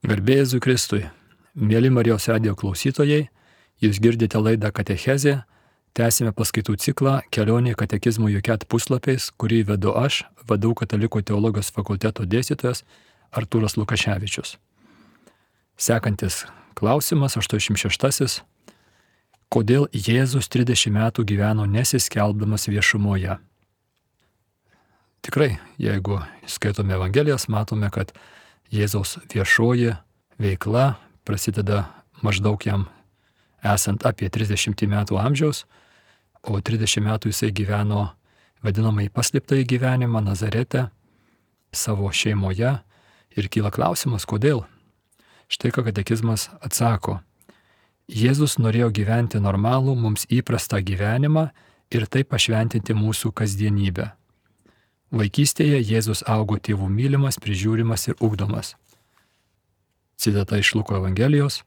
Garbė Jėzui Kristui. Mėly Marijos radijo klausytojai, jūs girdite laidą Katechezė, tęsime paskaitų ciklą Kelionė katekizmo JUKET puslapiais, kurį vedu aš, VDU Katalikų teologijos fakulteto dėstytojas Artūras Lukaševičius. Sekantis klausimas, 86. Kodėl Jėzus 30 metų gyveno nesiskelbdamas viešumoje? Tikrai, jeigu skaitome Evangelijas, matome, kad Jėzaus viešoji veikla prasideda maždaug jam esant apie 30 metų amžiaus, o 30 metų jisai gyveno vadinamai paslėptąjį gyvenimą Nazarete, savo šeimoje, ir kyla klausimas, kodėl. Štai ką katekizmas atsako. Jėzus norėjo gyventi normalų, mums įprastą gyvenimą ir taip pašventinti mūsų kasdienybę. Vaikystėje Jėzus augo tėvų mylimas, prižiūrimas ir ugdomas. Citata iš Luko Evangelijos,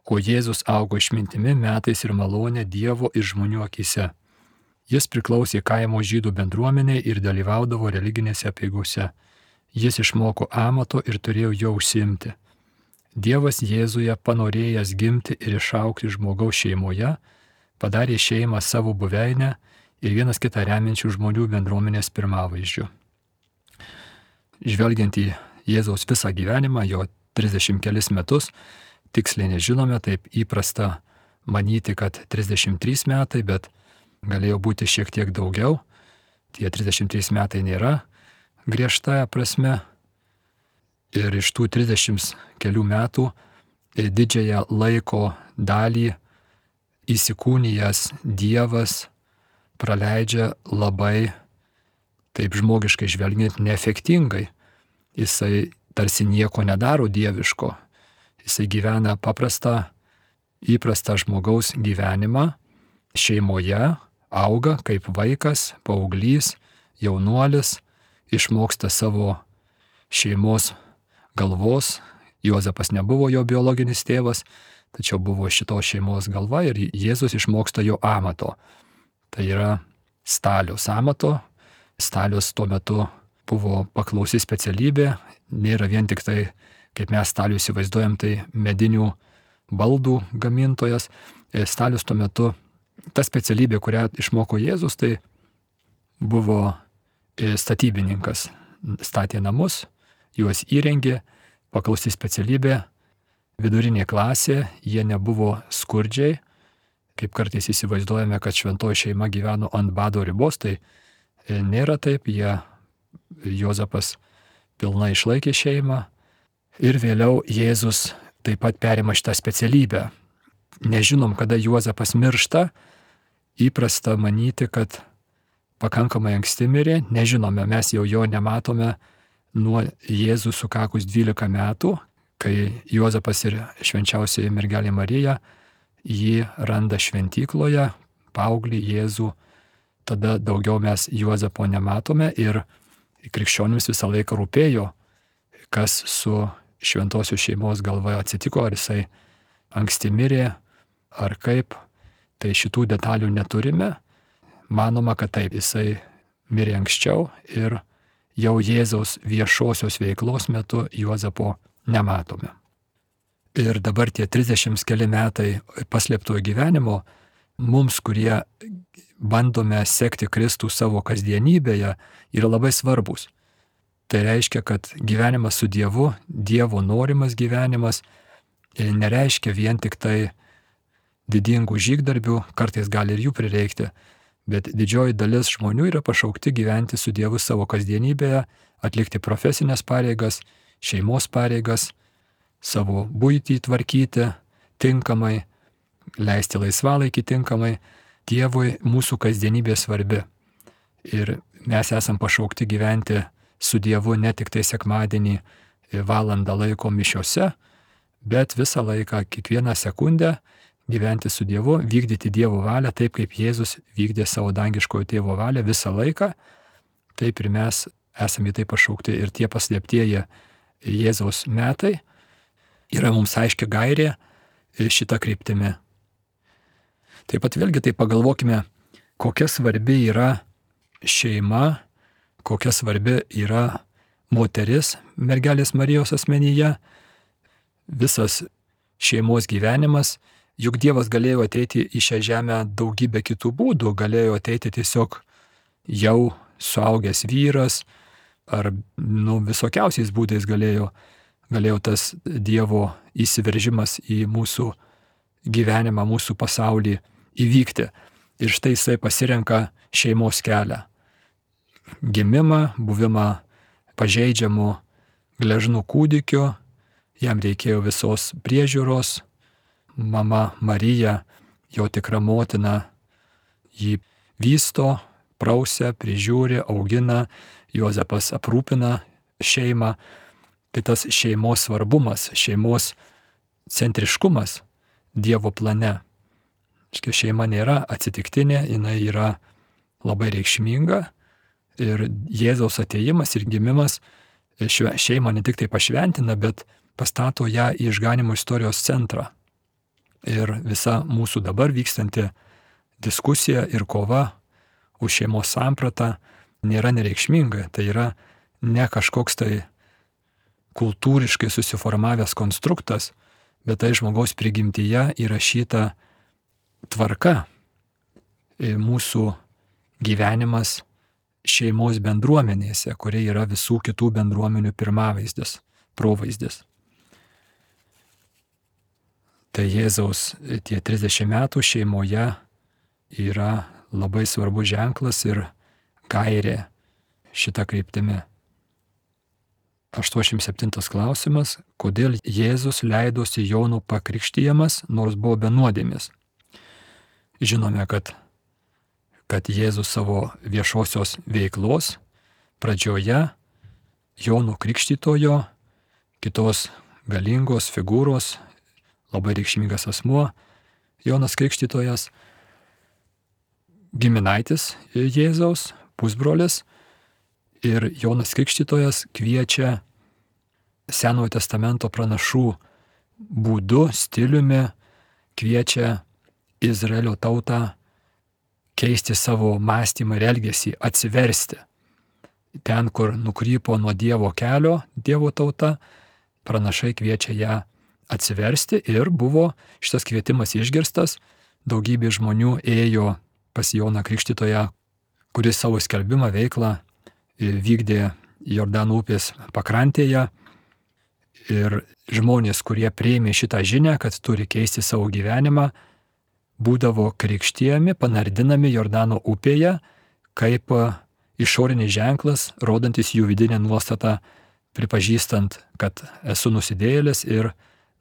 o Jėzus augo išmintimi, metais ir malonė Dievo ir žmonių akyse. Jis priklausė kaimo žydų bendruomeniai ir dalyvaudavo religinėse apeigose. Jis išmoko amato ir turėjo jo užsiimti. Dievas Jėzuje panorėjęs gimti ir išaugti žmogaus šeimoje, padarė šeimą savo buveinę ir vienas kitą remiančių žmonių bendruomenės pirmavaizdžių. Žvelgiant į Jėzaus visą gyvenimą, jo 30 kelis metus, tiksliai nežinome, taip įprasta manyti, kad 33 metai, bet galėjo būti šiek tiek daugiau. Tie 33 metai nėra griežtąja prasme. Ir iš tų 30 kelių metų didžiąją laiko dalį įsikūnijęs Dievas praleidžia labai, taip žmogiškai žvelgiant, neefektingai. Jisai tarsi nieko nedaro dieviško. Jisai gyvena paprastą, įprastą žmogaus gyvenimą, šeimoje, auga kaip vaikas, paauglys, jaunuolis, išmoksta savo šeimos galvos. Juozapas nebuvo jo biologinis tėvas, tačiau buvo šitos šeimos galva ir Jėzus išmoksta jo amato. Tai yra staliaus amato. Stalius tuo metu buvo paklausi specialybė, nėra vien tik tai, kaip mes stalių įsivaizduojam, tai medinių baldų gamintojas. Stalius tuo metu, ta specialybė, kurią išmoko Jėzus, tai buvo statybininkas. Statė namus, juos įrengė, paklausi specialybė, vidurinė klasė, jie nebuvo skurdžiai, kaip kartais įsivaizduojame, kad šventoji šeima gyveno ant bado ribos, tai nėra taip, Juozapas pilnai išlaikė šeimą ir vėliau Jėzus taip pat perima šitą specialybę. Nežinom, kada Juozapas miršta, įprasta manyti, kad pakankamai anksti mirė, nežinome, mes jau jo nematome nuo Jėzų sukakus 12 metų, kai Juozapas ir švenčiausioji mergelė Marija jį randa šventykloje, paauglį Jėzų, tada daugiau mes Juozapo nematome ir krikščionims visą laiką rūpėjo, kas su šventosios šeimos galva atsitiko, ar jisai anksti mirė, ar kaip. Tai šitų detalių neturime. Manoma, kad taip, jisai mirė anksčiau ir jau Jėzaus viešosios veiklos metu Juozapo nematome. Ir dabar tie 30 keli metai paslėptojo gyvenimo mums, kurie bandome sekti Kristų savo kasdienybėje, yra labai svarbus. Tai reiškia, kad gyvenimas su Dievu, Dievo norimas gyvenimas, nereiškia vien tik tai didingų žygdarbių, kartais gali ir jų prireikti, bet didžioji dalis žmonių yra pašaukti gyventi su Dievu savo kasdienybėje, atlikti profesinės pareigas, šeimos pareigas, savo buitį tvarkyti tinkamai, leisti laisvalaikį tinkamai. Dievui mūsų kasdienybė svarbi. Ir mes esam pašaukti gyventi su Dievu ne tik tai sekmadienį valandą laiko mišiose, bet visą laiką, kiekvieną sekundę gyventi su Dievu, vykdyti Dievo valią taip, kaip Jėzus vykdė savo dangiškojo tėvo valią visą laiką. Taip ir mes esame į tai pašaukti ir tie paslėptieji Jėzaus metai yra mums aiški gairė šitą kryptimį. Taip pat vėlgi tai pagalvokime, kokia svarbi yra šeima, kokia svarbi yra moteris mergelės Marijos asmenyje. visas šeimos gyvenimas, juk Dievas galėjo ateiti į šią žemę daugybę kitų būdų, galėjo ateiti tiesiog jau suaugęs vyras, ar visokiausiais būdais galėjo tas Dievo įsiveržimas į mūsų gyvenimą, mūsų pasaulį įvykti. Ir štai jisai pasirenka šeimos kelią. Gimimą, buvimą pažeidžiamų gležnų kūdikiu, jam reikėjo visos priežiūros, mama Marija, jo tikra motina, jį vysto, prausia, prižiūri, augina, Juozapas aprūpina šeimą. Tai tas šeimos svarbumas, šeimos centriškumas Dievo plane. Šeima nėra atsitiktinė, jinai yra labai reikšminga ir Jėzaus atėjimas ir gimimas šeimą ne tik tai pašventina, bet pastato ją į išganymo istorijos centrą. Ir visa mūsų dabar vykstanti diskusija ir kova už šeimos sampratą nėra nereikšminga. Tai yra ne kažkoks tai kultūriškai susiformavęs konstruktas, bet tai žmogaus prigimtyje įrašyta tvarka. Mūsų gyvenimas šeimos bendruomenėse, kurie yra visų kitų bendruomenių pirmavaizdis, provaizdis. Tai Jėzaus tie 30 metų šeimoje yra labai svarbus ženklas ir gairė šitą kryptimį. 87 klausimas. Kodėl Jėzus leidosi Jono pakrikštijamas, nors buvo be nuodėmės? Žinome, kad Jėzus savo viešosios veiklos pradžioje Jono Krikštytojo, kitos galingos figūros, labai reikšmingas asmuo, Jonas Krikštytojas, giminaitis Jėzaus, pusbrolis, ir Jonas Krikštytojas kviečia Senojo testamento pranašų būdu, stiliumi, kviečia Izraelio tautą keisti savo mąstymą ir elgesį, atsiversti. Ten, kur nukrypo nuo Dievo kelio Dievo tauta, pranašai kviečia ją atsiversti ir buvo šitas kvietimas išgirstas. Daugybė žmonių ėjo pas Joną Krikštytoją, kuris savo skelbimą veiklą vykdė Jordano upės pakrantėje. Ir žmonės, kurie priėmė šitą žinią, kad turi keisti savo gyvenimą, būdavo krikštijami, panardinami Jordano upėje, kaip išorinis ženklas, rodantis jų vidinę nuostatą, pripažįstant, kad esu nusidėjėlis ir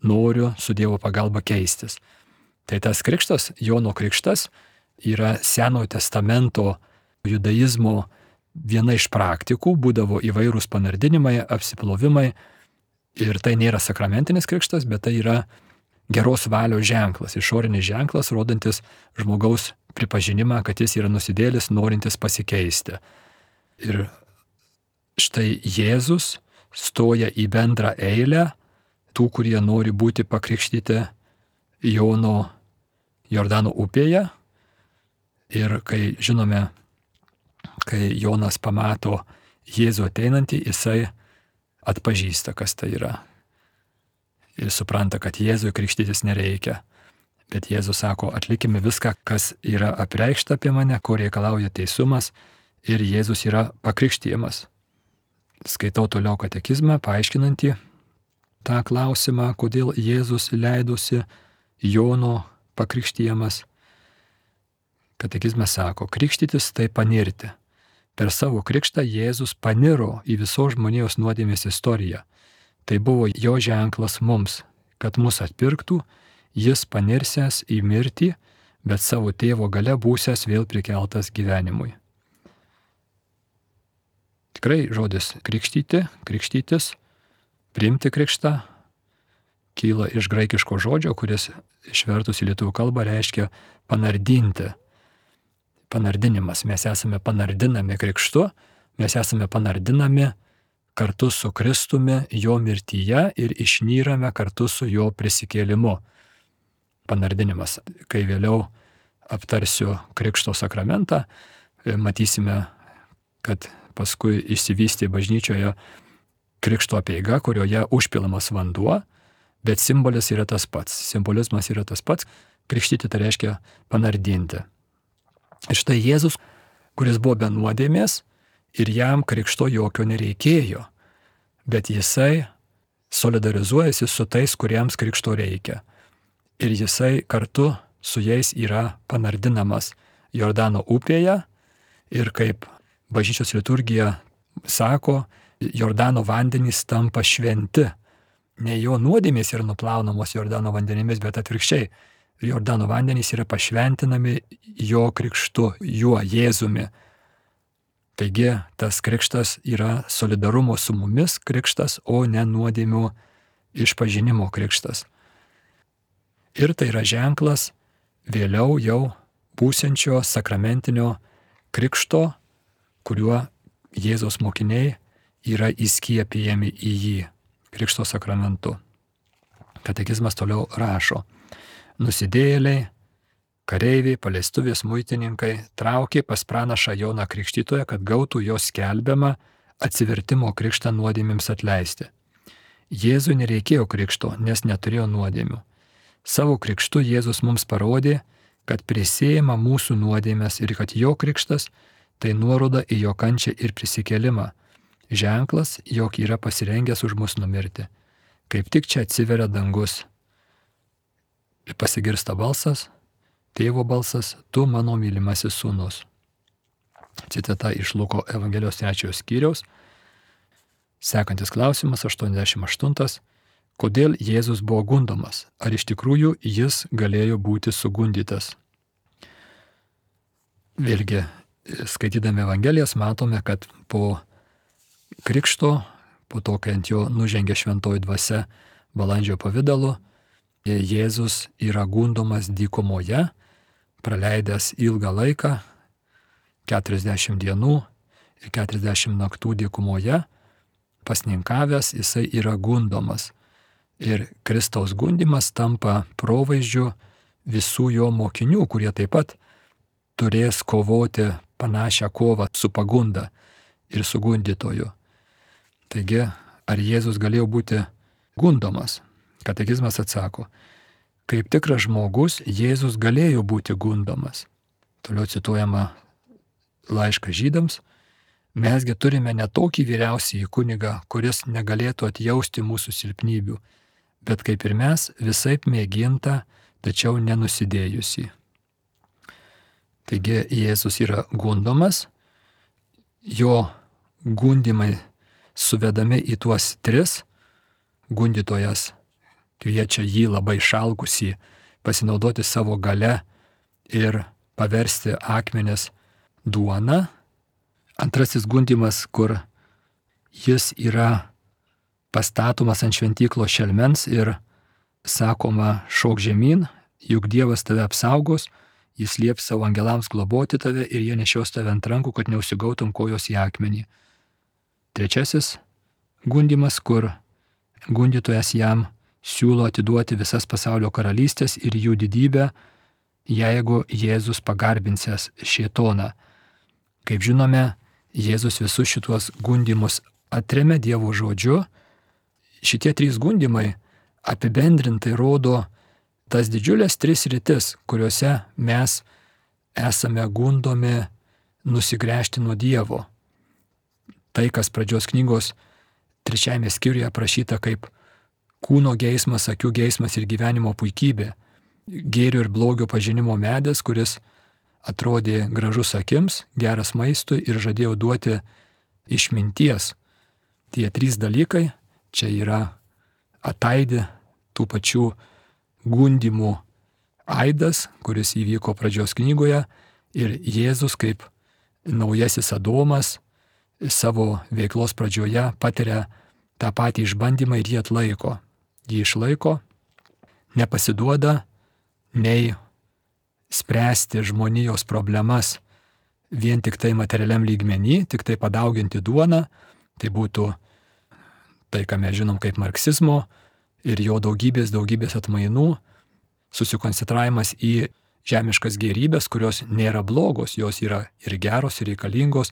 noriu su Dievo pagalba keistis. Tai tas krikštas, Jono krikštas, yra Senojo testamento judaizmo viena iš praktikų, būdavo įvairūs panardinimai, apsiplovimai. Ir tai nėra sakramentinis krikštas, bet tai yra geros valios ženklas, išorinis ženklas, rodantis žmogaus pripažinimą, kad jis yra nusidėlis, norintis pasikeisti. Ir štai Jėzus stoja į bendrą eilę tų, kurie nori būti pakrikštyti Jono Jordano upėje. Ir kai žinome, kai Jonas pamato Jėzų ateinantį, jisai atpažįsta, kas tai yra. Ir supranta, kad Jėzui krikštytis nereikia. Bet Jėzus sako, atlikime viską, kas yra apreikšta apie mane, ko reikalauja teisumas, ir Jėzus yra pakrikštijamas. Skaitau toliau katekizmą, paaiškinantį tą klausimą, kodėl Jėzus leidosi Jono pakrikštijamas. Katekizmas sako, krikštytis tai panirti. Per savo krikštą Jėzus paniro į visos žmonijos nuodėmės istoriją. Tai buvo jo ženklas mums, kad mus atpirktų, jis panirsęs į mirtį, bet savo tėvo gale būsęs vėl prikeltas gyvenimui. Tikrai žodis krikštyti, krikštytis, priimti krikštą, kyla iš graikiško žodžio, kuris išvertus į lietuvių kalbą reiškia panardinti. Panardinimas. Mes esame panardinami krikštu, mes esame panardinami kartu su Kristumi jo mirtyje ir išnyrame kartu su jo prisikėlimu. Panardinimas. Kai vėliau aptarsiu krikšto sakramentą, matysime, kad paskui išsivystė bažnyčioje krikšto apeiga, kurioje užpilamas vanduo, bet simbolis yra tas pats, simbolizmas yra tas pats, krikštyti tai reiškia panardinti. Ir štai Jėzus, kuris buvo be nuodėmės ir jam krikšto jokio nereikėjo, bet jisai solidarizuojasi su tais, kuriems krikšto reikia. Ir jisai kartu su jais yra panardinamas Jordano upėje ir kaip bažnyčios liturgija sako, Jordano vandenys tampa šventi. Ne jo nuodėmės yra nuplaunamos Jordano vandenimis, bet atvirkščiai. Jordano vandenys yra pašventinami jo krikštu, juo Jėzumi. Taigi tas krikštas yra solidarumo su mumis krikštas, o ne nuodėmių išpažinimo krikštas. Ir tai yra ženklas vėliau jau būsiančio sakramentinio krikšto, kuriuo Jėzaus mokiniai yra įskiepijami į jį krikšto sakramentu. Katekizmas toliau rašo: nusidėjėliai, kareiviai, paleistuvės, muitininkai traukė pas pranašą Joną Krikštytoją, kad gautų jo skelbiamą atsivertimo krikštą nuodėmėms atleisti. Jėzui nereikėjo krikšto, nes neturėjo nuodėmių. Savo krikštu Jėzus mums parodė, kad prisėjama mūsų nuodėmės ir kad jo krikštas tai nuoroda į jo kančią ir prisikėlimą. Ženklas, jog yra pasirengęs už mus numirti. Kaip tik čia atsiveria dangus. Ir pasigirsta balsas, tėvo balsas, tu mano mylimasis sūnus. Citata iš Luko Evangelijos 3 skyriaus. Sekantis klausimas, 88. Kodėl Jėzus buvo gundomas? Ar iš tikrųjų jis galėjo būti sugundytas? Vėlgi, skaitydami Evangelijas matome, kad po krikšto, po to, kai ant jo nužengė šventoji dvasia balandžio pavidalu, Jėzus yra gundomas dykumoje, praleidęs ilgą laiką, 40 dienų ir 40 naktų dykumoje, pasninkavęs, jisai yra gundomas. Ir Kristaus gundymas tampa provaizdžiu visų jo mokinių, kurie taip pat turės kovoti panašią kovą su pagunda ir su gundytoju. Taigi, ar Jėzus galėjo būti gundomas? Katekizmas atsako: kaip tikras žmogus, Jėzus galėjo būti gundomas. Toliau cituojama laiškas Žydams: mesgi turime ne tokį vyriausiąjį kunigą, kuris negalėtų atjausti mūsų silpnybių, bet kaip ir mes, visaip mėginta, tačiau nenusidėjusi. Taigi Jėzus yra gundomas, jo gundymai suvedami į tuos 3, gundytojas kviečia jį labai šalkusį pasinaudoti savo gale ir paversti akmenis duona. Antrasis gundymas, kur jis yra pastatomas ant šventyklos šelmens ir sakoma: šok žemyn, juk Dievas tave apsaugos, jis lieps savo angelams globoti tave ir jie nešios tave ant rankų, kad neužsigautum kojos į akmenį. Trečiasis gundymas, kur gundytojas jam siūlo atiduoti visas pasaulio karalystės ir jų didybę, jeigu Jėzus pagarbinsias šėtoną. Kaip žinome, Jėzus visus šituos gundymus atremia Dievo žodžiu. Šitie 3 gundymai apibendrintai rodo tas didžiulės 3 sritis, kuriuose mes esame gundomi nusigręžti nuo Dievo. Tai, kas pradžios knygos 3 skyriuje aprašyta kaip kūno geismas, akių geismas ir gyvenimo puikybė. Gėrio ir blogio pažinimo medis, kuris atrodė gražus akims, geras maistui ir žadėjo duoti išminties. Tie 3 dalykai čia yra ataidi tų pačių gundymų aidas, kuris įvyko pradžios knygoje, ir Jėzus kaip naujasis Adomas savo veiklos pradžioje patiria tą patį išbandymą ir jį atlaiko. Jį išlaiko, nepasiduoda nei spręsti žmonijos problemas vien tik tai materialiam lygmenį, tik tai padauginti duoną. Tai būtų tai, ką mes žinom kaip marksizmo ir jo daugybės atmainų, susikoncentravimas į žemiškas gėrybės, kurios nėra blogos, jos yra ir geros, ir reikalingos,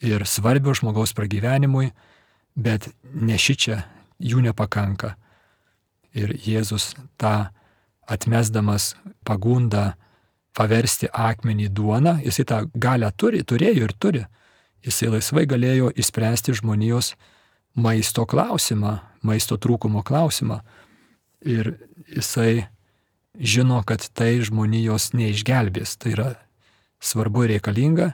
ir svarbios žmogaus pragyvenimui, bet ne šičia jų nepakanka. Ir Jėzus tą atmesdamas pagundą paversti akmenį duoną, jisai tą galią turėjo ir turi. Jisai laisvai galėjo išspręsti žmonijos maisto klausimą, maisto trūkumo klausimą. Ir jisai žino, kad tai žmonijos neišgelbės. Tai yra svarbu ir reikalinga,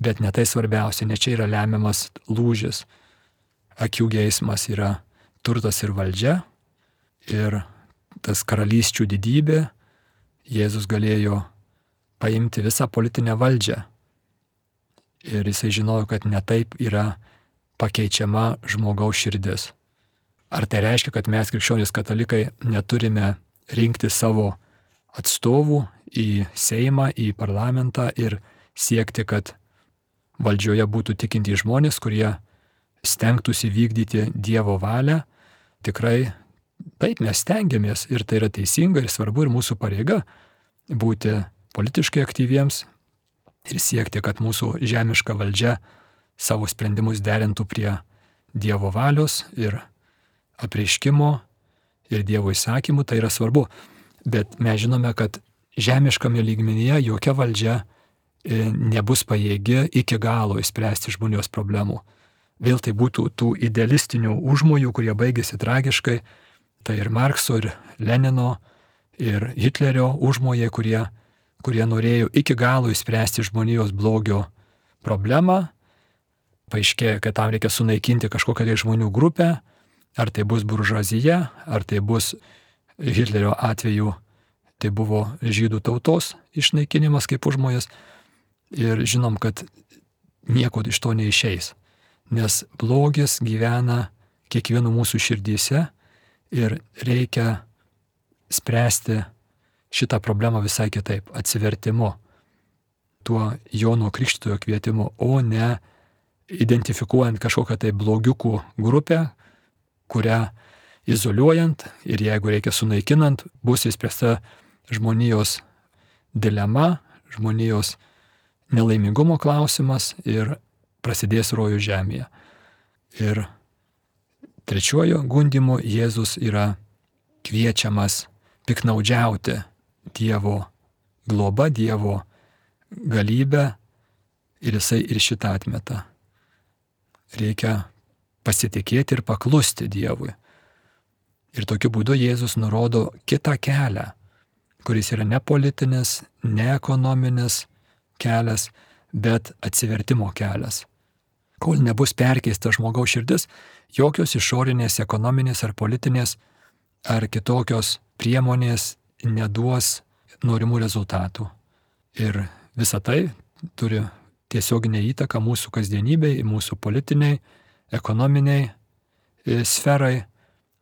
bet ne tai svarbiausia, ne čia yra lemiamas lūžis. Akių geismas yra turtas ir valdžia, ir tas karalysčių didybė. Jėzus galėjo paimti visą politinę valdžią. Ir jisai žinojo, kad ne taip yra pakeičiama žmogaus širdis. Ar tai reiškia, kad mes krikščionys katalikai neturime rinkti savo atstovų į Seimą, į parlamentą ir siekti, kad valdžioje būtų tikintys žmonės, kurie stengtųsi vykdyti Dievo valią? Tikrai taip, mes stengiamės ir tai yra teisinga ir svarbu ir mūsų pareiga būti politiškai aktyviems ir siekti, kad mūsų žemiška valdžia savo sprendimus derintų prie Dievo valios ir apreiškimo ir Dievo įsakymų, tai yra svarbu. Bet mes žinome, kad žemiškame lygmenyje jokia valdžia nebus pajėgi iki galo išspręsti žmonijos problemų. Vėl tai būtų tų idealistinių užmojų, kurie baigėsi tragiškai. Tai ir Markso, ir Lenino, ir Hitlerio užmojai, kurie norėjo iki galo išspręsti žmonijos blogio problemą. Paaiškėjo, kad tam reikia sunaikinti kažkokią tai žmonių grupę, ar tai bus buržuazija, ar tai bus Hitlerio atveju, tai buvo žydų tautos išnaikinimas kaip užmojas. Ir žinom, kad nieko iš to neišeis, nes blogis gyvena kiekvieno mūsų širdyse ir reikia spręsti šitą problemą visai kitaip, atsivertimu, tuo Jono Krikštytojo kvietimu, o ne identifikuojant kažkokią tai blogiukų grupę, kurią izoliuojant ir jeigu reikia sunaikinant, bus įspręsta žmonijos dilema, žmonijos nelaimingumo klausimas ir prasidės rojų žemėje. Ir trečiuoju gundymu Jėzus yra kviečiamas piknaudžiauti Dievo globa, Dievo galybę ir jisai ir šitą atmeta. Reikia pasitikėti ir paklusti Dievui. Ir tokiu būdu Jėzus nurodo kitą kelią, kuris yra ne politinis, ne ekonominis kelias, bet atsivertimo kelias. Kol nebus perkeista žmogaus širdis, jokios išorinės, ekonominės ar politinės ar kitokios priemonės neduos norimų rezultatų. Ir visa tai turi tiesioginę įtaką mūsų kasdienybei, mūsų politiniai, ekonominiai sferai.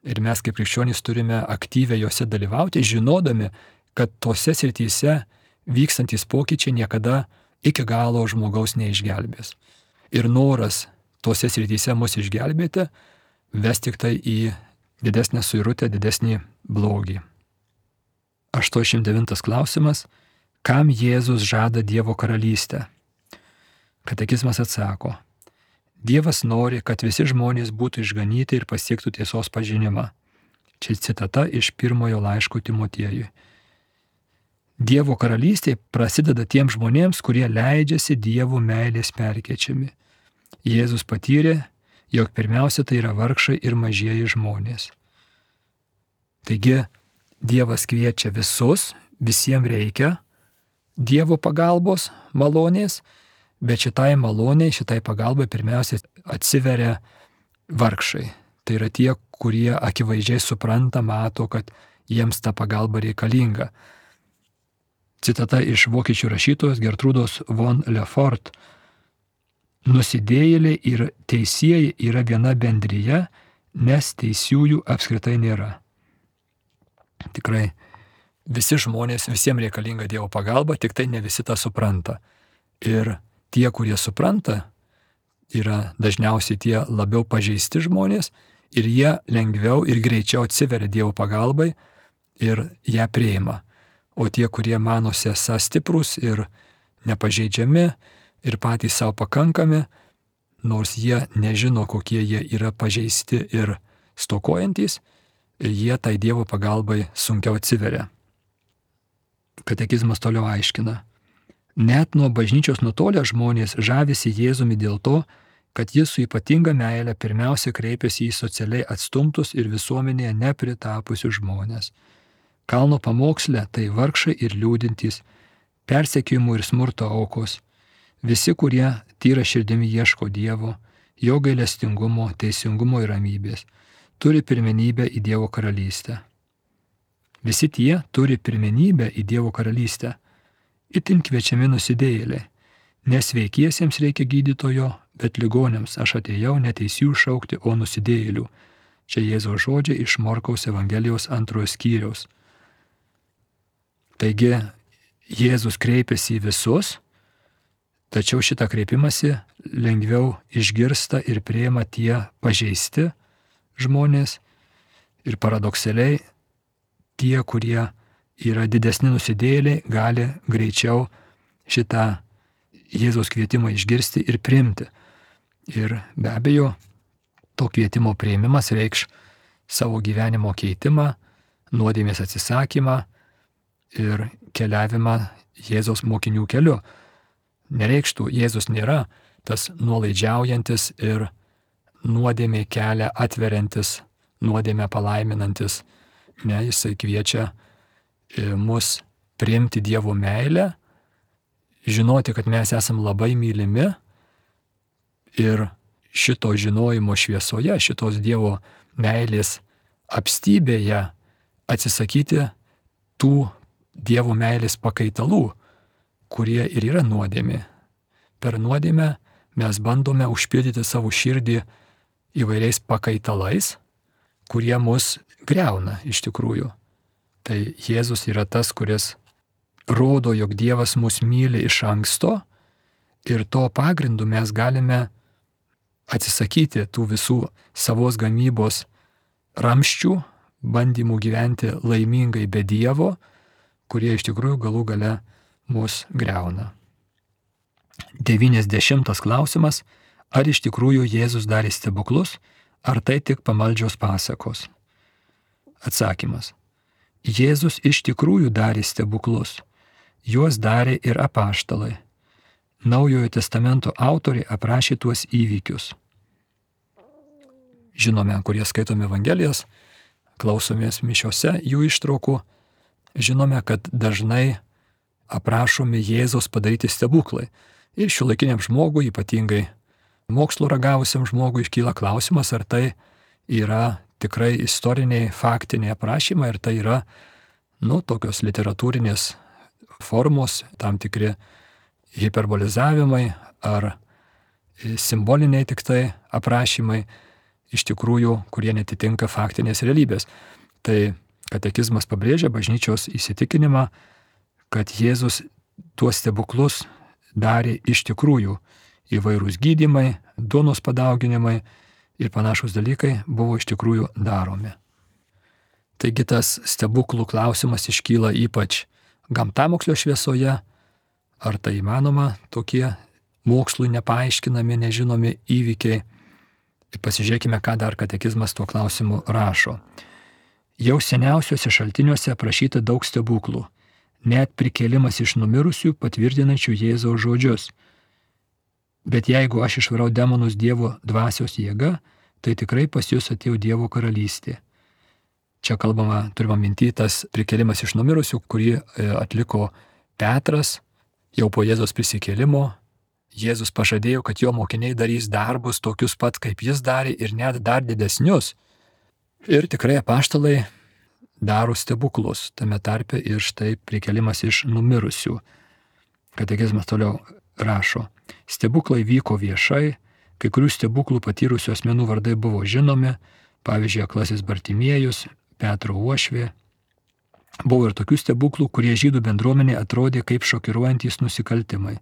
Ir mes kaip krikščionys turime aktyviai juose dalyvauti, žinodami, kad tose srityse vykstantis pokyčiai niekada iki galo žmogaus neišgelbės. Ir noras tose srityse mus išgelbėti ves tik tai į didesnę suirutę, didesnį blogį. 89 klausimas. Kam Jėzus žada Dievo karalystę? Katekizmas atsako. Dievas nori, kad visi žmonės būtų išganyti ir pasiektų tiesos pažinimą. Čia citata iš pirmojo laiško Timotiejui. Dievo karalystė prasideda tiems žmonėms, kurie leidžiasi Dievo meilės perkeičiami. Jėzus patyrė, jog pirmiausia tai yra vargšai ir mažieji žmonės. Taigi Dievas kviečia visus, visiems reikia Dievo pagalbos, malonės, bet šitai maloniai, šitai pagalbai pirmiausia atsiveria vargšai. Tai yra tie, kurie akivaizdžiai supranta, mato, kad jiems ta pagalba reikalinga. Citata iš vokiečių rašytojos Gertrūdos von Lefort. Nusidėjėliai ir teisieji yra viena bendrija, nes teisiųjų apskritai nėra. Tikrai visi žmonės, visiems reikalinga Dievo pagalba, tik tai ne visi tą supranta. Ir tie, kurie supranta, yra dažniausiai tie labiau pažeisti žmonės ir jie lengviau ir greičiau atsiveria Dievo pagalbai ir ją priima. O tie, kurie manosi esą stiprus ir nepažeidžiami ir patys savo pakankami, nors jie nežino, kokie jie yra pažeisti ir stokojantys, jie tai Dievo pagalbai sunkiau atsiveria. Katekizmas toliau aiškina. Net nuo bažnyčios nutolę žmonės žavisi Jėzumi dėl to, kad jis su ypatinga meile pirmiausia kreipiasi į socialiai atstumtus ir visuomenėje nepritapusius žmonės. Kalno pamoksle tai vargšai ir liūdintys, persekiojimų ir smurto aukos, visi, kurie tyra širdimi ieško Dievo, jo gailestingumo, teisingumo ir ramybės, turi pirmenybę į Dievo karalystę. Visi tie turi pirmenybę į Dievo karalystę. Itin kviečiami nusidėjėliai. Nesveikiesiems reikia gydytojo, bet ligoniams aš atėjau ne teisių šaukti, o nusidėjėlių. Čia Jėzaus žodžiai iš Morkaus Evangelijos 2 skyriaus. Taigi Jėzus kreipiasi į visus, tačiau šitą kreipimąsi lengviau išgirsta ir priima tie pažeisti žmonės ir paradoksaliai tie, kurie yra didesni nusidėjėliai, gali greičiau šitą Jėzaus kvietimą išgirsti ir priimti. Ir be abejo, to kvietimo priėmimas reikš savo gyvenimo keitimą, nuodėmės atsisakymą ir keliavimą Jėzaus mokinių keliu. Nereikštų, Jėzus nėra tas nuolaidžiaujantis ir nuodėmė kelią atveriantis, nuodėmę palaiminantis. Ne, jisai kviečia mus priimti Dievo meilę, žinoti, kad mes esam labai mylimi ir šito žinojimo šviesoje, šitos Dievo meilės apstybėje atsisakyti tų Dievo meilės pakaitalų, kurie ir yra nuodėmė. Per nuodėmę mes bandome užpildyti savo širdį įvairiais pakaitalais, kurie mus griauna iš tikrųjų. Tai Jėzus yra tas, kuris rodo, jog Dievas mus myli iš anksto ir to pagrindu mes galime atsisakyti tų visų savos gamybos ramščių, bandymų gyventi laimingai be Dievo, kurie iš tikrųjų galų gale mus griauna. 90 klausimas. Ar iš tikrųjų Jėzus darė stebuklus, ar tai tik pamaldžios pasakos? Atsakymas. Jėzus iš tikrųjų darė stebuklus. Juos darė ir apaštalai. Naujojo testamento autoriai aprašė tuos įvykius. Žinome, kurie skaitome Evangelijas, klausomės mišiose jų ištraukų, žinome, kad dažnai aprašomi Jėzaus padaryti stebuklai. Ir šiuolaikiniam žmogui, ypatingai mokslo ragavusiam žmogui, iškyla klausimas, ar tai yra tikrai istoriniai, faktiniai aprašymai, ir tai yra, tokios literatūrinės formos, tam tikri hiperbolizavimai ar simboliniai tik tai aprašymai, iš tikrųjų, kurie netitinka faktinės realybės. Tai katekizmas pabrėžia bažnyčios įsitikinimą, kad Jėzus tuos stebuklus darė iš tikrųjų. Įvairūs gydymai, duonos padauginimai ir panašus dalykai buvo iš tikrųjų daromi. Taigi tas stebuklų klausimas iškyla ypač gamtamokslio šviesoje, ar tai įmanoma tokie mokslui nepaaiškinami, nežinomi įvykiai. Pasižiūrėkime, ką dar katekizmas tuo klausimu rašo. Jau seniausiuose šaltiniuose aprašyta daug stebuklų, net prikėlimas iš numirusių patvirtinančių Jėzaus žodžius. Bet jeigu aš išvarau demonus Dievo dvasios jėga, tai tikrai pas jūs atėjo Dievo karalystė. Čia kalbama, turima minty, tas prikėlimas iš numirusių, kurį atliko Petras jau po Jėzaus prisikėlimo. Jėzus pažadėjo, kad jo mokiniai darys darbus tokius pat, kaip jis darė, ir net dar didesnius. Ir tikrai apaštalai daro stebuklus, tame tarpe ir štai prikėlimas iš numirusių. Katekizmas toliau rašo. Stebuklai vyko viešai, kai kurių stebuklų patyrusių asmenų vardai buvo žinomi, pavyzdžiui, aklasis Bartimiejus, Petro uošvė. Buvo ir tokių stebuklų, kurie žydų bendruomenė atrodė kaip šokiruojantys nusikaltimai.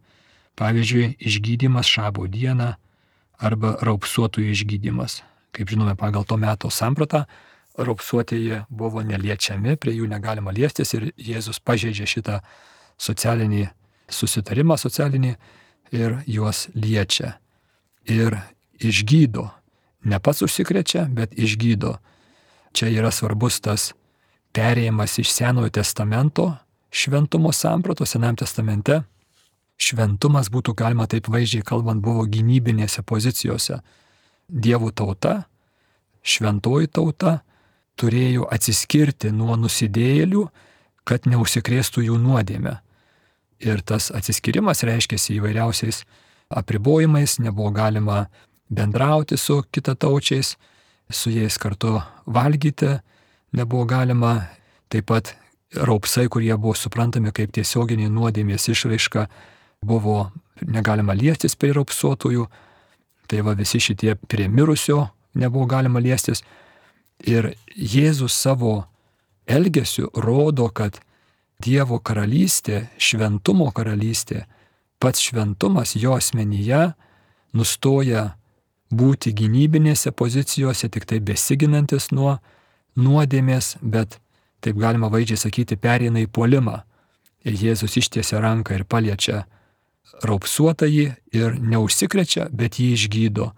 Pavyzdžiui, išgydymas šabo dieną arba raupsuotųjų išgydymas. Kaip žinome, pagal to meto sampratą, raupsuotieji buvo neliečiami, prie jų negalima liestis ir Jėzus pažeidžia šitą socialinį susitarimą ir juos liečia. Ir išgydo. Ne pats užsikrečia, bet išgydo. čia yra svarbus tas perėjimas iš Senojo testamento šventumo sampratos. Senajame testamente šventumas, būtų galima taip vaizdžiai kalbant, buvo gynybinėse pozicijose. Dievo tauta, šventoji tauta turėjo atsiskirti nuo nusidėjėlių, kad neužsikrėstų jų nuodėmę. Ir tas atsiskyrimas reiškėsi įvairiausiais apribojimais, nebuvo galima bendrauti su kitataučiais, su jais kartu valgyti nebuvo galima, taip pat raupsai, kurie buvo suprantami kaip tiesioginiai nuodėmės išraiška, buvo negalima liestis prie raupsuotųjų, tai va visi šitie prie mirusio nebuvo galima liestis. Ir Jėzus savo elgesiu rodo, kad Dievo karalystė, šventumo karalystė, pats šventumas jo asmenyje nustoja būti gynybinėse pozicijose, tik tai besiginantis nuo nuodėmės, bet, taip galima vaizdžiai sakyti, pereina į puolimą. Ir Jėzus ištiesia ranką ir paliečia raupsuotąjį ir neužsikrečia, bet jį išgydo.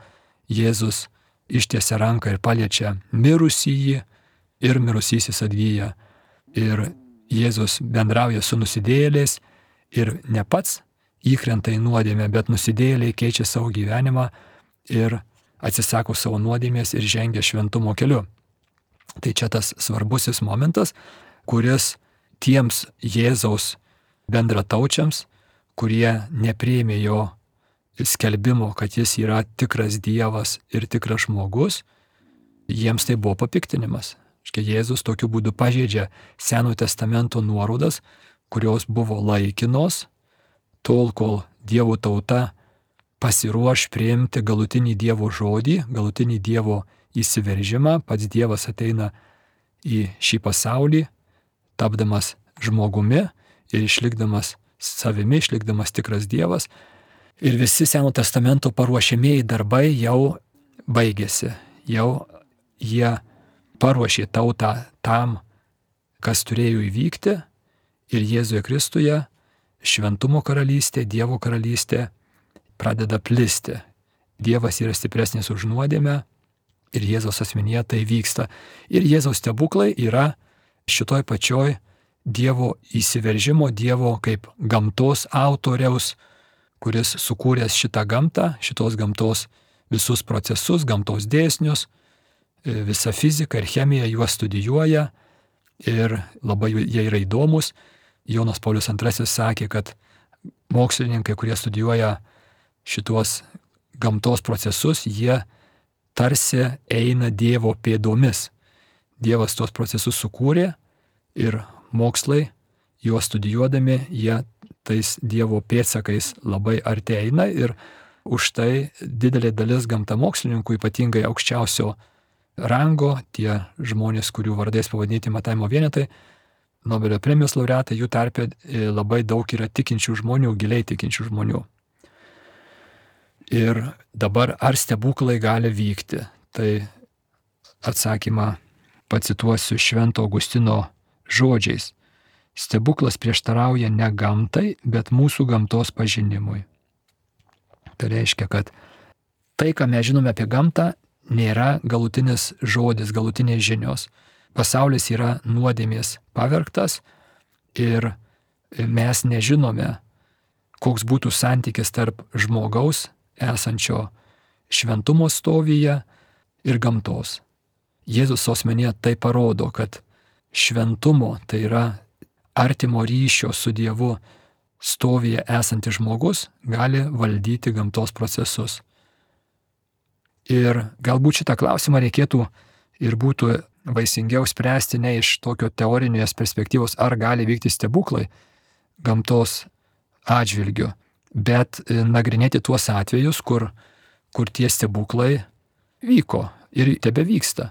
Jėzus ištiesia ranką ir paliečia mirusįjį ir mirusysis atgyja. Ir Jėzus bendrauja su nusidėjėliais ir ne pats įkrenta į nuodėmę, bet nusidėjėliai keičia savo gyvenimą ir atsisako savo nuodėmės ir žengia šventumo keliu. Tai čia tas svarbusis momentas, kuris tiems Jėzaus bendrataučiams, kurie nepriėmė jo skelbimo, kad jis yra tikras Dievas ir tikras žmogus, jiems tai buvo papiktinimas. Jėzus tokiu būdu pažeidžia Senojo testamento nuorodas, kurios buvo laikinos, tol kol Dievo tauta pasiruoš priimti galutinį Dievo žodį, galutinį Dievo įsiveržimą. Pats Dievas ateina į šį pasaulį, tapdamas žmogumi ir išlikdamas savimi, išlikdamas tikras Dievas. Ir visi Senojo testamento paruošiamieji darbai jau baigėsi. Jau jie paruošė tautą tam, kas turėjo įvykti, ir Jėzuje Kristuje šventumo karalystė, Dievo karalystė pradeda plisti. Dievas yra stipresnis už nuodėmę ir Jėzaus asmenyje tai vyksta. Ir Jėzaus stebuklai yra šitoj pačioj Dievo įsiveržimo, Dievo kaip gamtos autoriaus, kuris sukūręs šitą gamtą, šitos gamtos visus procesus, gamtos dėsnius, visą fiziką ir chemiją juos studijuoja ir labai jie yra įdomus. Jonas Paulius II sakė, kad mokslininkai, kurie studijuoja šitos gamtos procesus, jie tarsi eina Dievo pėdomis. Dievas tuos procesus sukūrė ir mokslai, juos studijuodami, jie tais Dievo pėdsakais labai arti eina ir už tai didelė dalis gamtamokslininkų, ypatingai aukščiausio rango, tie žmonės, kurių vardais pavadinti matavimo vienetai, Nobelio premijos laureatai, jų tarpe labai daug yra tikinčių žmonių, giliai tikinčių žmonių. Ir dabar ar stebuklai gali vykti? Tai atsakymą pacituosiu Švento Augustino žodžiais. Stebuklas prieštarauja ne gamtai, bet mūsų gamtos pažinimui. Tai reiškia, kad tai, ką mes žinome apie gamtą, nėra galutinis žodis, galutinės žinios. Pasaulis yra nuodėmės pavergtas ir mes nežinome, koks būtų santykis tarp žmogaus esančio šventumo stovyje ir gamtos. Jėzus asmenyje tai parodo, kad šventumo, tai yra artimo ryšio su Dievu stovyje esantis žmogus, gali valdyti gamtos procesus. Ir galbūt šitą klausimą reikėtų ir būtų vaisingiau spręsti ne iš tokio teorinės perspektyvos, ar gali vykti stebuklai gamtos atžvilgiu, bet nagrinėti tuos atvejus, kur tie stebuklai vyko ir tebevyksta.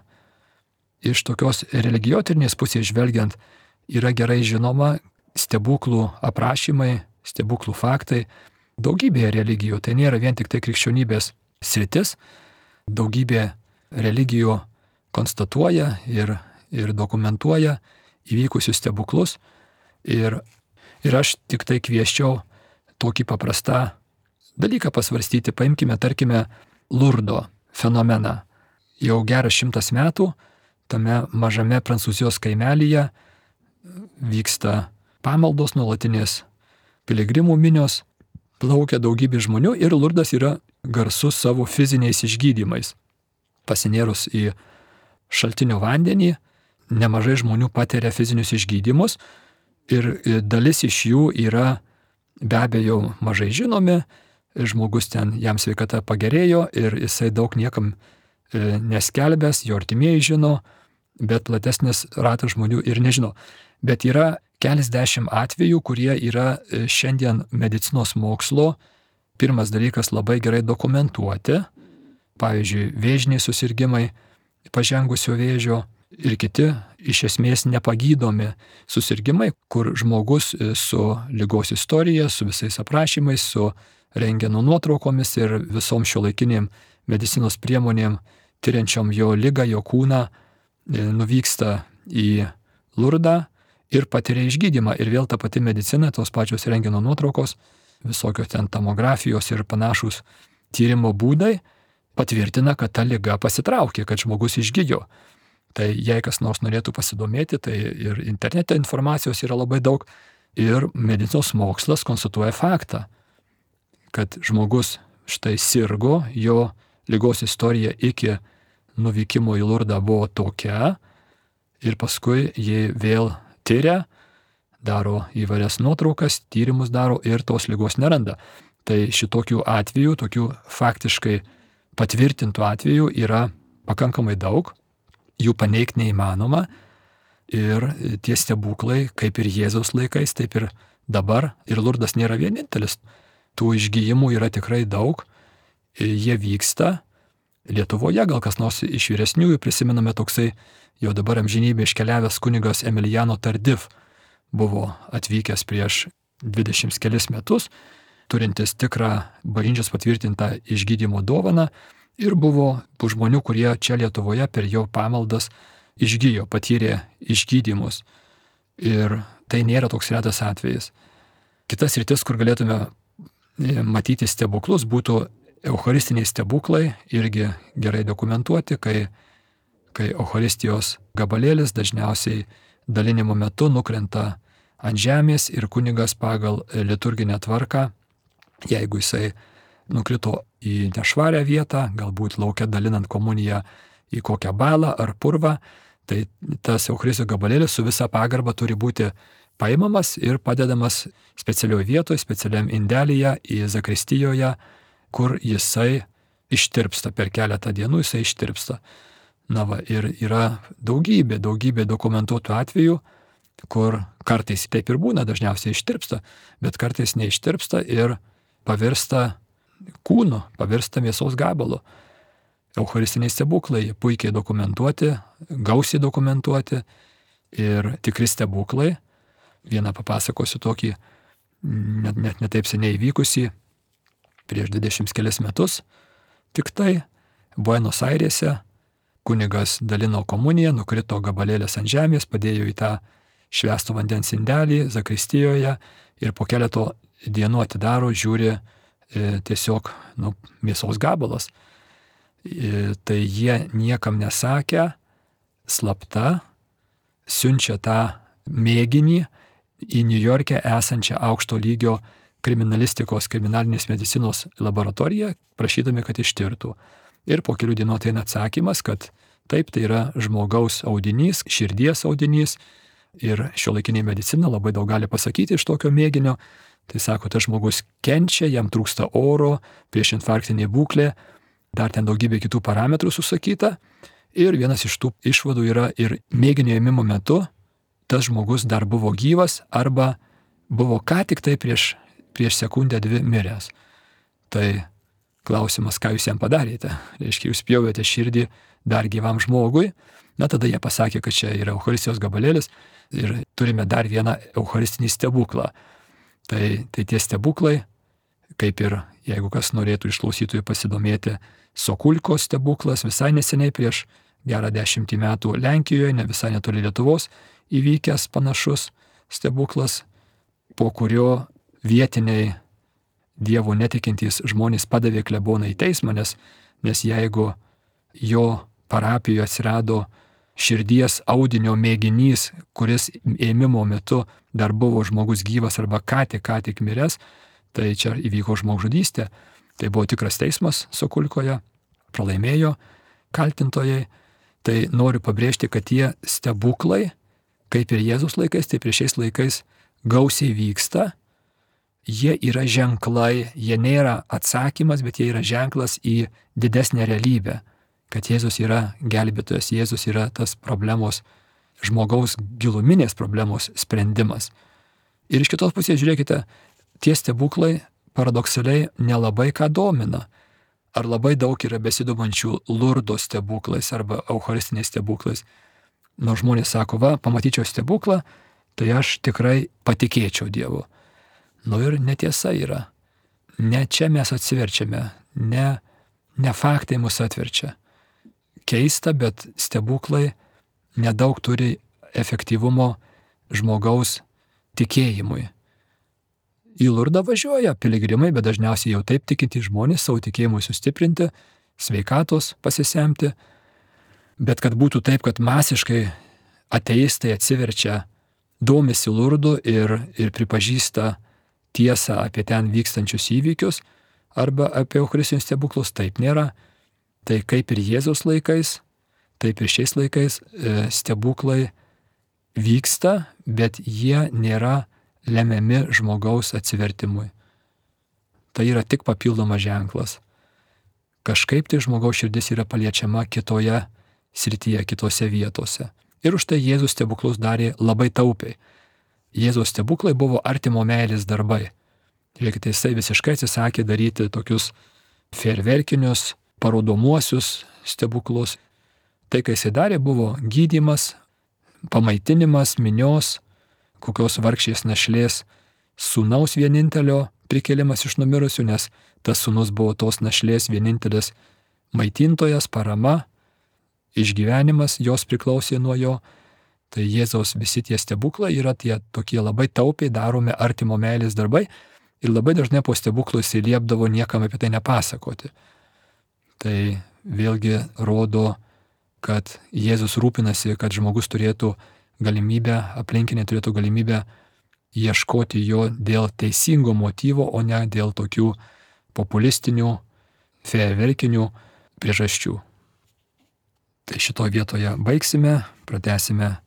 Iš tokios religijotyrės pusės žvelgiant, yra gerai žinoma stebuklų aprašymai, stebuklų faktai daugybėje religijų. Tai nėra vien tik tai krikščionybės sritis. Daugybė religijų konstatuoja ir dokumentuoja įvykusius stebuklus. Ir aš tik tai kvieščiau tokį paprastą dalyką pasvarstyti. Paimkime, tarkime, Lurdo fenomeną. Jau geras 100 metų tame mažame Prancūzijos kaimelyje vyksta pamaldos nuolatinės, piligrimų minios, plaukia daugybė žmonių ir Lurdas yra garsus savo fiziniais išgydymais. Pasinėrus į šaltinio vandenį, nemažai žmonių patiria fizinius išgydymus ir dalis iš jų yra be abejo mažai žinomi, žmogus ten, jam sveikata pagerėjo ir jisai daug niekam neskelbęs, jo artimieji žino, bet platesnis ratas žmonių ir nežino. Bet yra keliasdešimt atvejų, kurie yra šiandien medicinos mokslo, pirmas dalykas, labai gerai dokumentuoti, pavyzdžiui, vėžiniai susirgymai, pažengusio vėžio ir kiti iš esmės nepagydomi susirgymai, kur žmogus su ligos istorija, su visais aprašymais, su rentgeno nuotraukomis ir visom šiuolaikinėm medicinos priemonėm tyriančiom jo ligą, jo kūną, nuvyksta į Lurdą ir patiria išgydymą. Ir vėl ta pati medicina, tos pačios rentgeno nuotraukos, visokios ten tomografijos ir panašūs tyrimo būdai patvirtina, kad ta liga pasitraukė, kad žmogus išgyjo. Tai jei kas nors norėtų pasidomėti, tai ir internete informacijos yra labai daug ir medicinos mokslas konstatuoja faktą, kad žmogus štai sirgo, jo ligos istorija iki nuvykimo į Lurdą buvo tokia ir paskui jie vėl tyria, daro įvairias nuotraukas, tyrimus daro ir tos ligos neranda. Tai šitokių atvejų, tokių faktiškai patvirtintų atvejų yra pakankamai daug, jų paneigti neįmanoma ir tie stebuklai, kaip ir Jėzaus laikais, taip ir dabar, ir Lurdas nėra vienintelis. Tų išgyjimų yra tikrai daug, jie vyksta. Lietuvoje gal kas nors iš vyresniųjų prisimename toksai jau dabar amžinybė iškeliavęs kunigas Emiliano Tardif buvo atvykęs prieš 20 kelis metus, turintis tikrą bažnyčios patvirtintą išgydymo dovaną ir buvo žmonių, kurie čia Lietuvoje per jo pamaldas išgyjo, patyrė išgydymus. Ir tai nėra toks retas atvejis. Kitas sritis, kur galėtume matyti stebuklus, būtų eucharistiniai stebuklai, irgi gerai dokumentuoti, kai eucharistijos gabalėlis dažniausiai dalinimo metu nukrenta ant žemės ir kunigas pagal liturginę tvarką, jeigu jisai nukrito į nešvarią vietą, galbūt laukia dalinant komuniją į kokią balą ar purvą, tai tas eucharistijos gabalėlis su visa pagarba turi būti paimamas ir padedamas specialioje vietoje, specialiam indelyje į zakristijoje, kur jisai ištirpsta per keletą dienų, jisai ištirpsta. Na va, ir yra daugybė dokumentuotų atvejų, kur kartais taip ir būna, dažniausiai ištirpsta, bet kartais neištirpsta ir pavirsta kūnu, pavirsta mėsos gabalu. Eucharistiniai stebuklai puikiai dokumentuoti, gausiai dokumentuoti ir tikri stebuklai. Vieną papasakosiu tokį net netaip seniai įvykusį, prieš 20 kelis metus, tik tai Buenos Airėse kunigas dalino komuniją, nukrito gabalėlis ant žemės, padėjo į tą švęsto vandens indelį zakristijoje ir po keleto dienų atidaro, žiūri tiesiog mėsos gabalas. Tai jie niekam nesakė, slapta, siunčia tą mėginį į Niujorke esančią aukšto lygio kriminalinės medicinos laboratoriją, prašydami, kad ištirtų. Ir po kelių dienų ateina atsakymas, kad taip, tai yra žmogaus audinys, širdies audinys ir šiuolaikinė medicina labai daug gali pasakyti iš tokio mėginio. Tai sako, tas žmogus kenčia, jam trūksta oro, priešinfarktinė būklė, dar ten daugybė kitų parametrų susakyta. Ir vienas iš tų išvadų yra ir mėginio ėmimo metu tas žmogus dar buvo gyvas arba buvo ką tik tai prieš sekundę dvi miręs. Tai klausimas, ką jūs jam padarėte? Reiškia, jūs pjovėte širdį dar gyvam žmogui. Na, tada jie pasakė, kad čia yra eucharistijos gabalėlis ir turime dar vieną eucharistinį stebuklą. Tai tie stebuklai, kaip ir jeigu kas norėtų iš klausytojų pasidomėti, Sokulkos stebuklas visai neseniai prieš gerą 10 metų Lenkijoje, ne visai netoli Lietuvos, įvykęs panašus stebuklas, po kurio vietiniai Dievo netikintys žmonės padavė kleboną į teismą, nes jeigu jo parapijoje atsirado širdies audinio mėginys, kuris ėmimo metu dar buvo žmogus gyvas arba ką tik miręs, tai čia įvyko žmogžudystė. Tai buvo tikras teismas Sokulkoje, pralaimėjo kaltintojai. Tai noriu pabrėžti, kad tie stebuklai, kaip ir Jėzus laikais, taip ir šiais laikais gausiai vyksta. Jie yra ženklai, jie nėra atsakymas, bet jie yra ženklas į didesnę realybę, kad Jėzus yra gelbėtojas, Jėzus yra tas problemos, žmogaus giluminės problemos sprendimas. Ir iš kitos pusės žiūrėkite, tie stebuklai paradoksaliai nelabai ką domina. Ar labai daug yra besidomančių Lurdo stebuklais arba eucharistiniais stebuklais. Nors žmonės sako, va, pamatyčiau stebuklą, tai aš tikrai patikėčiau Dievu. Ir netiesa yra. Ne čia mes atsiverčiame, ne faktai mus atverčia. Keista, bet stebuklai nedaug turi efektyvumo žmogaus tikėjimui. Į Lurdą važiuoja piligrimai, bet dažniausiai jau taip tikintys žmonės savo tikėjimui sustiprinti, sveikatos pasisemti. Bet kad būtų taip, kad masiškai ateistai atsiverčia, domisi Lurdu ir pripažįsta tiesą apie ten vykstančius įvykius arba apie eucharistinius stebuklus, taip nėra. Tai kaip ir Jėzaus laikais, taip ir šiais laikais stebuklai vyksta, bet jie nėra lemiami žmogaus atsivertimui. Tai yra tik papildomas ženklas. Kažkaip tai žmogaus širdis yra paliečiama kitoje srityje, kitose vietose. Ir už tai Jėzus stebuklus darė labai taupiai. Jėzaus stebuklai buvo artimo meilės darbai. Žiūrėkite, jisai visiškai atsisakė daryti tokius fejerverkinius, parodomuosius stebuklus. Tai, ką jisai darė, buvo gydymas, pamaitinimas minios, kokios vargšės našlės sūnaus vienintelio prikėlimas iš numirusių, nes tas sūnus buvo tos našlės vienintelis maitintojas, parama, išgyvenimas jos priklausė nuo jo. Tai Jėzaus visi tie stebuklai yra tie tokie labai taupiai daromi artimo meilės darbai ir labai dažnai po stebuklų jis liepdavo niekam apie tai nepasakoti. Tai vėlgi rodo, kad Jėzus rūpinasi, kad žmogus turėtų galimybę, aplinkiniai turėtų galimybę ieškoti jo dėl teisingo motyvo, o ne dėl tokių populistinių, fejerverkinių priežasčių. Tai šitoje vietoje baigsime, pratęsime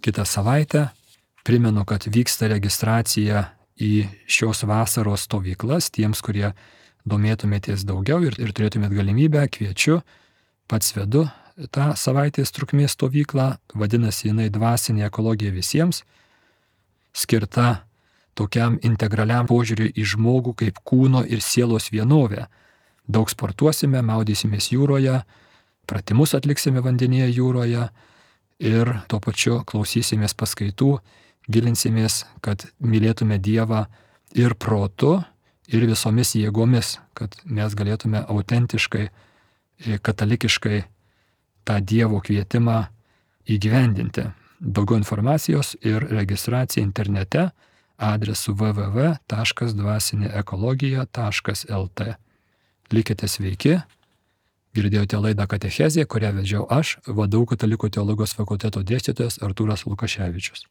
kitą savaitę. Primenu, kad vyksta registracija į šios vasaros stovyklas. Tiems, kurie domėtumėtės daugiau ir turėtumėt galimybę, kviečiu, pats vedu tą savaitės trukmės stovyklą, vadinasi jinai dvasinė ekologija visiems, skirta tokiam integraliam požiūriui į žmogų kaip kūno ir sielos vienovę. Daug sportuosime, maudysimės jūroje, pratimus atliksime vandenyje jūroje ir tuo pačiu klausysimės paskaitų, gilinsimės, kad mylėtume Dievą ir protu, ir visomis jėgomis, kad mes galėtume autentiškai, katalikiškai tą Dievo kvietimą įgyvendinti. Daugiau informacijos ir registracija internete adresu www.dvasinėekologija.lt. Likite sveiki. Girdėjote laidą Katechezė, kurią vedžiau aš, VDU Katalikų teologijos fakulteto dėstytojas Artūras Lukaševičius.